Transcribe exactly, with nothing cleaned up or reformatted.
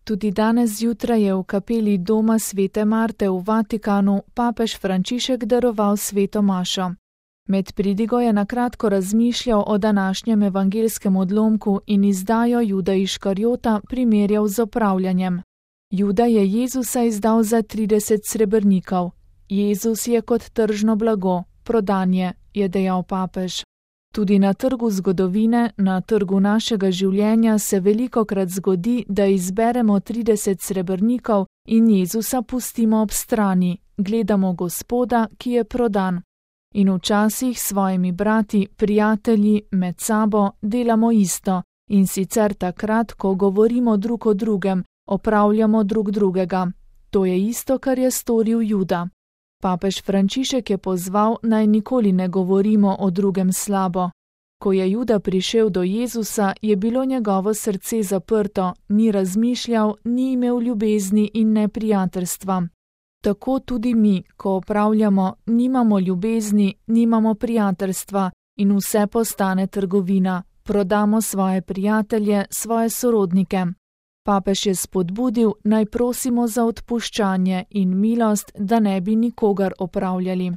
Tudi danes zjutraj je v kapeli doma svete Marte v Vatikanu papež Frančišek daroval sveto mašo. Med pridigo je nakratko razmišljal o današnjem evangelskem odlomku in izdajo Juda Iškarjota primerjal z opravljanjem. Juda je Jezusa izdal za trideset srebrnikov. Jezus je kot tržno blago, prodan je, je dejal papež. Tudi na trgu zgodovine, na trgu našega življenja se velikokrat zgodi, da izberemo trideset srebrnikov in Jezusa pustimo ob strani, gledamo Gospoda, ki je prodan. In včasih s svojimi brati, prijatelji, med sabo delamo isto, in sicer takrat, ko govorimo drug o drugem, opravljamo drug drugega. To je isto, kar je storil Juda. Papež Frančišek je pozval, naj nikoli ne govorimo o drugem slabo. Ko je Juda prišel do Jezusa, je bilo njegovo srce zaprto, ni razmišljal, ni imel ljubezni in ne prijateljstva. Tako tudi mi, ko opravljamo, nimamo ljubezni, nimamo prijateljstva in vse postane trgovina, prodamo svoje prijatelje, svoje sorodnike. Papež je spodbudil, naj prosimo za odpuščanje in milost, da ne bi nikogar opravljali.